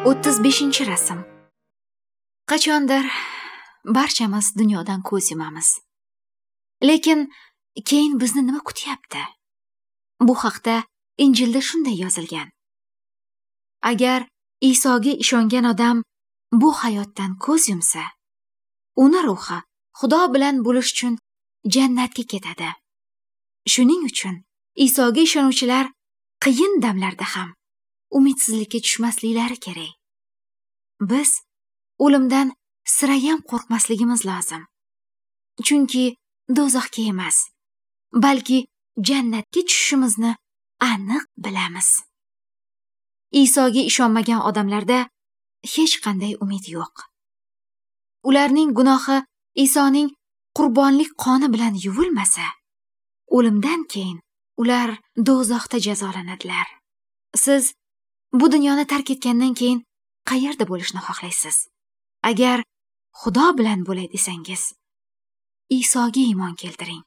35-rasm. Qachondir barchamiz dunyodan ko'z yumamiz. Lekin keyin bizni nima kutyapti? Bu haqda Injilda shunday yozilgan. Agar Isoga ishongan odam bu hayotdan ko'z yumsa, uni ruhi Xudo bilan bo'lish uchun jannatga ketadi. Shuning uchun Isoga ishonuvchilar qiyin damlarda ham umidsizlikka tushmasliklari kerak. Biz o'limdan sirayam qo'rqmasligimiz lozim. Chunki do'zaxga emas, balki jannatga tushishimizni aniq bilamiz. Isoga ishonmagan odamlarda hech qanday umid yo'q. Ularning gunohi Isoning qurbonlik qoni bilan yuvilmasa, o'limdan keyin ular do'zaxda jazolanadilar. Siz bu dunyoni tark etgandan keyin qayerda bo'lishni xohlaysiz? Agar Xudo bilan bo'lay desangiz, Isoga iymon keltiring.